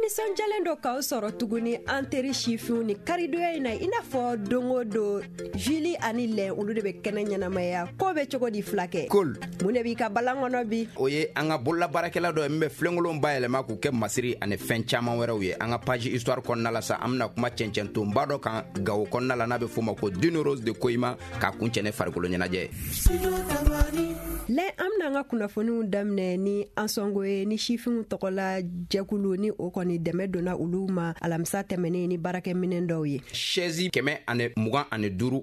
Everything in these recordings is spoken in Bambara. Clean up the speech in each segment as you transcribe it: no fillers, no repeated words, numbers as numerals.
Nisɔndiyalen don k'aw sɔrɔ tuguni, an teri sifinw, ni karidonya in na. I n'a fɔ don o don, Juli ani Lɛn, olu de bɛ kɛnɛ ɲɛnamaya. Ko bɛ cogo di, fulakɛ? Kol. Mun de b'i ka balan kɔnɔ bi? O ye an ka bololabaarakɛla dɔ ye min bɛ filenkolon bayɛlɛma k'u kɛ masiri ani fɛn caman wɛrɛw ye. An ka page histoire kɔnɔna la sa, an bɛna kuma cɛncɛntonba dɔ kan Gawo kɔnɔna la, n'a bɛ f'o ma ko Dune Rose de Koyima, k'a kuncɛ ni farikolo ɲɛnajɛ. Lɛn, an bɛna an ka kunnafoniw daminɛ ni Ansɔngo ye, ni sifinw tɔgɔla jɛkulu ni o kɔni dɛmɛ donna olu ma alamisa tɛmɛnen ni baarakɛminɛn dɔw ye. Chaise 125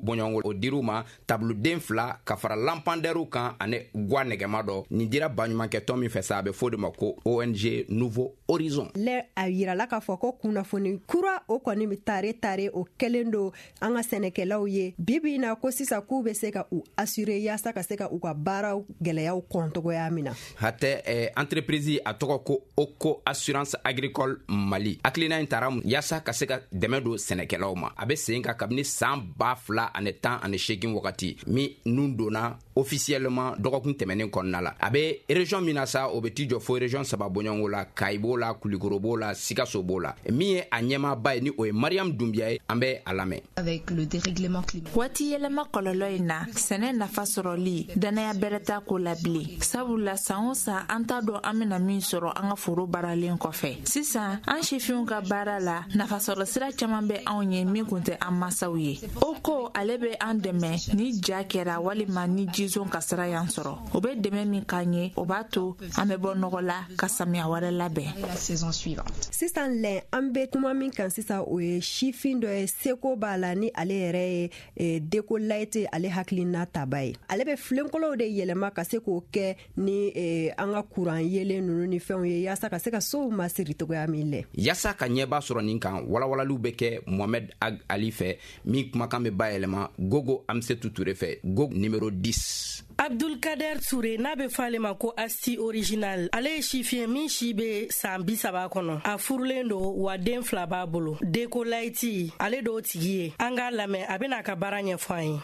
bɔɲɔgɔnko, o dir'u ma, tabuluden 2 ka fara lampandɛriw kan ani gwa nɛgɛma dɔ. Nin dira baɲumankɛtɔn min fɛ sa, a bɛ fɔ de ma ko ONG Nouveau Horizon. Lɛ, a yirala k'a fɔ ko kunnafoni kura o kɔni bɛ tare tare, o kɛlen don an ka sɛnɛkɛlaw ye bi bi in na, ko sisan k'u bɛ se ka u assurer yaasa ka se ka u ka baaraw gɛlɛyaw kɔn togoya min na. Hatɛ, entreprise a tɔgɔ ko Oko Assurance Agricole Mali. Hakilina in tara yaasa ka se ka dɛmɛ don sɛnɛkɛlaw ma. A bɛ sen kan kabini san 2018 wagati min nun donna officiellement dɔgɔkun tɛmɛnen kɔnɔna la. A bɛ région min na sa, o bɛ t'i jɔ fo région saba bɔɲɔgɔnko la: Kayi b'o la, Kulikoro b'o la, Sikaso b'o la. Min ye a ɲɛmaaba ye, ni o ye Mariam Dunbiya ye, an bɛ a lamɛn. Avec le dérèglement climatique. Waati yɛlɛma kɔlɔlɔ in na, sɛnɛ nafa sɔrɔli, dannaya bɛrɛ t'a ko la bilen, sabula san o san an t'a dɔn an bena min sɔrɔ an ka foro baaralen kɔfɛ. Sisan, an sifinw ka baara la, nafasɔrɔ sira caaman bɛ anw ye min kun tɛ an masaw ye. O ko ale bɛ an dɛmɛ ni ja kɛra walima ni jizon kasara y'an sɔrɔ. O bɛ dɛmɛ min k'an ye, o b'a to an bɛ bɔ nɔgɔ la ka samiya wɛrɛ labɛn. La saison suivante. Sisan Lɛn, an bɛ kuma min kan sisan, o ye sifin dɔ ye, seko b'a la, ni ale yɛrɛ ye Deco Light, ale hakilina taba ye. Ale bɛ filenkolow de yɛlɛma ka se k'o kɛ ni an ka kuran yelen ninnu ni fɛnw ye, yaasa ka se ka sow masiri togoya min lɛ. Yaasa ka ɲɛba sɔrɔ nin kan, walawalaliw bɛ kɛ Mohamed Ag Ali fɛ, min kumakan bɛ bayɛlɛma Gogo Amsetu Ture fɛ, Gogo numéro 10. Abdulkader Ture, n'a bɛ fɔ ale ma ko Asti Original, ale ye sifin min si bɛ san 30 kɔnɔ. A furulen don wa den 2 b'a bolo. Deco Light, ale d'o tigi ye. An k'a lamɛn, a bɛna a ka baara ɲɛfɔ an ye.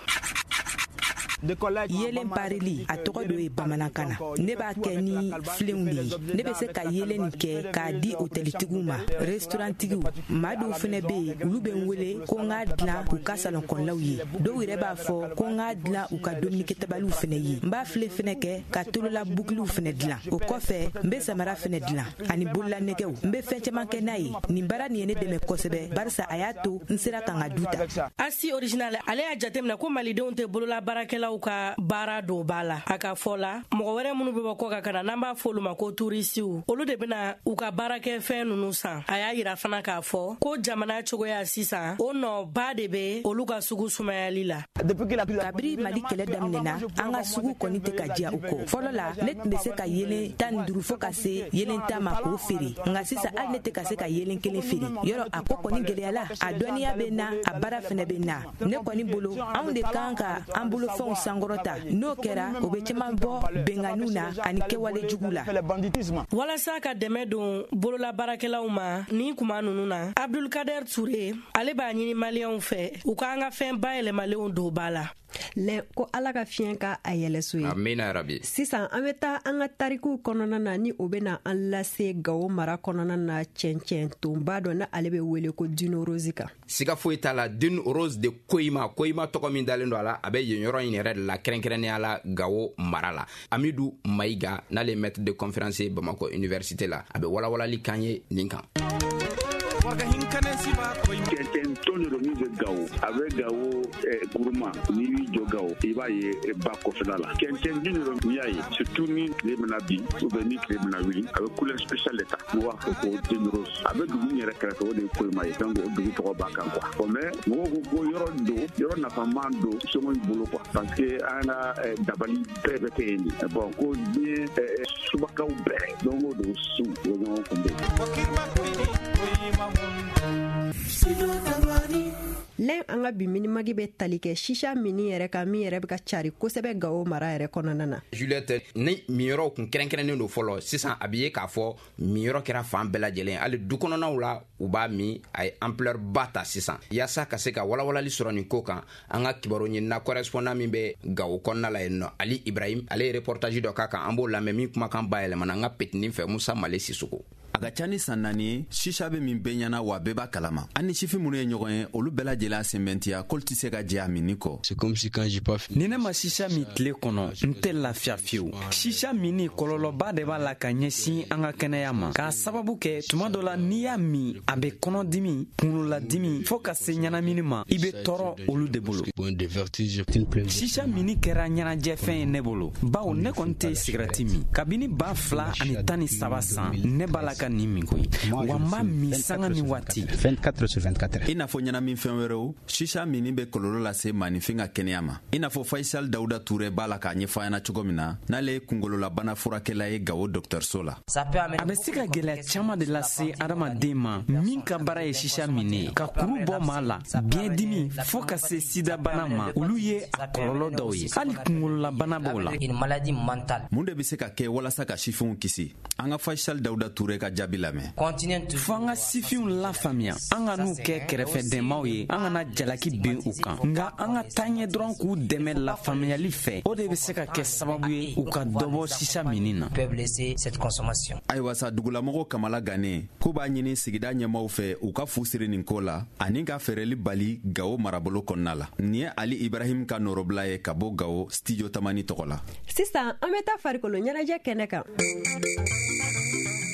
Yelen parili, a tɔgɔ do ye bamanankan na. Ne b'a kɛ ni filenw de ye. Ne bɛ se ka yelen nin kɛ k'a di otɛlitigiw ma, restaurantigiw. Maa dɔw fɛnɛ bɛ yen, olu bɛ n wele ko n k'a dilan u ka salon kɔnɔlaw ye. Dɔw yɛrɛ b'a fɔ ko n k'a dilan u ka dumunikɛtabaliw fɛnɛ ye. N b'a filen fɛnɛ kɛ ka tolola bukiliw fɛnɛ dilan. O kɔfɛ, n bɛ samara fɛnɛ dilan ani bololanɛgɛw. N bɛ fɛn caman kɛ n'a ye. Nin baara nin ye ne dɛmɛ kosɛbɛ, barisa a y'a to n sera ka n ka du ta. Asti Original, ale y'a jateminɛ ko malidenw tɛ bolola baarakɛlaw ka baara don ba la. A ka fɔ la, mɔgɔ wɛrɛ minnu bɛ bɔ kɔ kan ka na, n'an b'a fɔ olu ma ko turisiw, olu de bɛna u ka baarakɛfɛn ninnu san. A y'a yira fana k'a fɔ ko jamana cogoya sisan, o nɔba de bɛ olu ka sugu sumayali la. Kabiri Mali kɛlɛ daminɛna, an ka sugu kɔni tɛ ka diya u kɔ. Fɔlɔ la, ne tun bɛ se ka yelen 15 fo ka se yelen 10 ma k'o feere, nka sisan hali ne tɛ ka se ka yelen kelen feere. Yɔrɔ a ko kɔni gɛlɛyala. A dɔnniya bɛ na, a baara fɛnɛ bɛ na. Ne kɔni bolo, anw de kan ka an bolofɛnw sankɔrɔta. N'o kɛra, o bɛ caman bɔ benkanniw na ani kɛwale jugu la. Walasa ka dɛmɛ don bolola baarakɛlaw ma nin kuma ninnu na, Abdulkader Ture, ale b'a ɲini maliyɛnw fɛ u k'an ka fɛn bayɛlɛmalenw don ba la. Lɛ, ko Ala ka fiɲɛ ka a yɛlɛso ye. Amina rabi. Sisan an bɛ taa an ka tarikuw kɔnɔna na, ni o bɛna an lase Gawo mara kɔnɔna na, cɛncɛn tonba dɔ, na ale bɛ wele ko Dune Rose kan. Siga foyi t'a la, Dune Rose de Koyima, Koyima tɔgɔ min dalen don a la, a bɛ yen yɔrɔ in yɛrɛ de la, kɛrɛnkɛrɛnnenya la Gawo mara la. Amidu Mayiga, n'ale maître de conférence ye Bamakɔ université la, a bɛ walawalali kan ye nin kan. Cɛncɛn ton de don min bɛ Gawo. A bɛ Gawo kuruma. N'i b'i jɔ Gawo, i b'a ye ba kɔfɛla la. Cɛncɛn dun de don. N'i y'a ye, surtout ni tile bɛna bin ou bien ni tile bɛna wuli, a bɛ couleur spéciale de ta. N'u b'a fɔ ko Dune Rose. A bɛ dugu min yɛrɛ kɛrɛfɛ, o de ye Koyima ye. Donc o dugu tɔgɔ b'a kan quoi. Bon, mais mɔgɔw ko ko yɔrɔ don, yɔrɔ nafama don somɔgɔw bolo quoi, parce que an ka dabali bɛɛ bɛ kɛ yen de. Bon, ko diɲɛ subakaw bɛɛ, don o don su, u bɛ ɲɔgɔn kunbɛn. Lɛn, an ka bi minimagi bɛ tali kɛ sisa mini yɛrɛ kan, min yɛrɛ bɛ ka cari kosɛbɛ Gawo mara yɛrɛ kɔnɔna na. Juliette, ni minyɔrɔw kun kɛrɛnkɛrɛnnen don fɔlɔ, sisan a bɛ ye k'a fɔ minyɔrɔ kɛra fan bɛɛ lajɛlen, hali du kɔnɔnaw la u b'a min. A ye ampleur ba ta sisan. Yaasa ka se ka walawalali sɔrɔ nin ko kan, an ka kibaru ɲinina correspondant min bɛ Gawo kɔnɔna la yen nɔ, Ali Ibrahim, ale ye reportage dɔ k'a kan. An b'o lamɛn, min kumakan bayɛlɛmana an ka petinin fɛ, Musa Male Sisoko. A ka ca ni san 4 ye, sisa bɛ min bɛɛ ɲɛna, wa bɛɛ b'a kalama. An ni sifin minnu ye ɲɔgɔn ye, olu bɛɛ lajɛlen sɛmɛntiya k'olu tɛ se ka jɛ a minni kɔ. Ni ne ma sisa min tile kɔnɔ, n tɛ lafiya fiyewu. Sisa minni kɔlɔlɔba de b'a la ka ɲɛsin an ka kɛnɛya ma, k'a sababu kɛ tuma dɔ la n'i y'a min, a bɛ kɔnɔdimi, kunkolodimi, fɔɔ ka se ɲɛnamini ma. I bɛ tɔɔrɔ olu de bolo. Sisa minni kɛra ɲɛnajɛfɛn ye ne bolo, bawo ne kɔni tɛ sigɛrɛti min. Kabini 2013 san, ne b'a la ka nin min koyi, wa n b'a min sanga ni waati. 24/24. I n'a fɔ ɲɛnaminfɛn wɛrɛw, sisa minni bɛ kɔlɔlɔ lase maaninfin ka kɛnɛya ma, i n'a fɔ Faisal Dawuda Ture b'a la k'a ɲɛfɔ an ɲɛna cogo min na, n'ale ye kunkololabana furakɛla ye Gawo dɔgɔtɔrɔso la. A bɛ se ka gɛlɛya caman de lase adamaden ma min ka baara ye sisa minni ye, ka kuru bɔ maa la, biɲɛdimi, fɔɔ ka se sidabana ma. Olu ye a kɔlɔlɔ dɔw ye. Hali kunkololabana b'o la. Mun de bɛ se ka kɛ walasa ka sifinw kisi? An ka Faisal Dawuda Ture ka jaabi lamɛn. Fo an ka sifinw lafaamuya, an ka n'u kɛ kɛrɛfɛdɛnmaw ye, an kana jalaki bin u kan, nka an ka taa ɲɛ dɔrɔn k'u dɛmɛ lafaamuyali fɛ. O de bɛ se ka kɛ sababu ye u ka dɔ bɔ sisa minni na. Ayiwa sa, dugulamɔgɔw kamala gannen k'u b'a ɲini sigida ɲɛmaaw fɛ, u ka fu siri nin ko la ani ka feereli bali Gawo marabolo kɔnɔna la. Nin ye Ali Ibrahim ka nɔrɔbila ye ka bɔ Gawo, Studio Tamani tɔgɔ la. Sisan an bɛ taa farikolo ɲɛnajɛ kɛnɛ kan.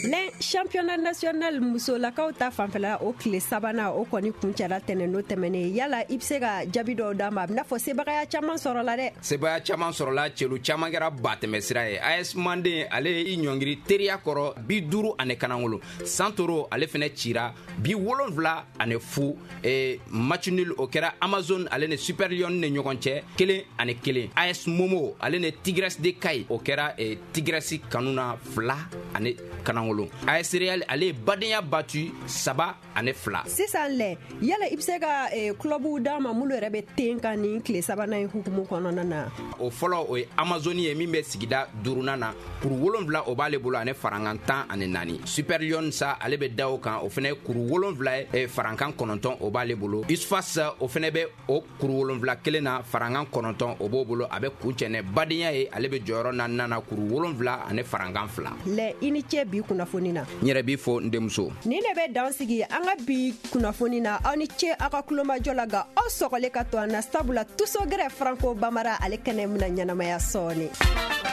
Lɛn championnat national musolakaw ta fanfɛla, o tile sabanan o kɔni kuncɛra tɛnɛn tɛmɛnen. Yala i bɛ se ka jaabi dɔw d'a ma? A bɛna fɔ sebagaya caman sɔrɔla dɛ. Sebaya caman sɔrɔla, celu caman kɛra batɛmɛsira ye. AS Manden, ale ye i ɲɔngiri teriya kɔrɔ 51. Santoro, ale fɛnɛ cira 70-0. Match nul o kɛra Amazon ale ni Super Lion ni ɲɔgɔn cɛ, 1-1. AS Momo ale ni Tigresse de Kayes, o kɛra Tigresse kanu na, 2-0. AS Real, ale ye badenya battu 3-2. Sisan lɛ, yala i bɛ se ka clubw d'an ma minnu yɛrɛ bɛ ten kan nin tile sabanan in hukumu kɔnɔna na? O fɔlɔ, o ye Amazone ye min bɛ sigida duurunan na, kuru 7 o b'ale bolo ani farankan 14. Super Lion sa, ale bɛ da o kan, o fɛnɛ ye kuru 7 ye, farankan 9 o b'ale bolo. Usfas, o fɛnɛ bɛ o kuru 7 kelen na, farankan 9 o b'o bolo. A bɛ kuncɛ ni badenya ye, ale bɛ jɔyɔrɔ naaninan na, kuru 7 ani farankan 2. Lɛ, i ni ce bi kunnafoni na. N yɛrɛ b'i fo, n denmuso. Nin de bɛ dan sigi an ka bi kunnafoni na. Aw ni ce aw ka kulomajɔ la, nka aw sɔgɔlen ka to an na, sabula Tusogɛrɛ Franco Bamara ale kɛnɛ bɛna ɲɛnamaya sɔɔni.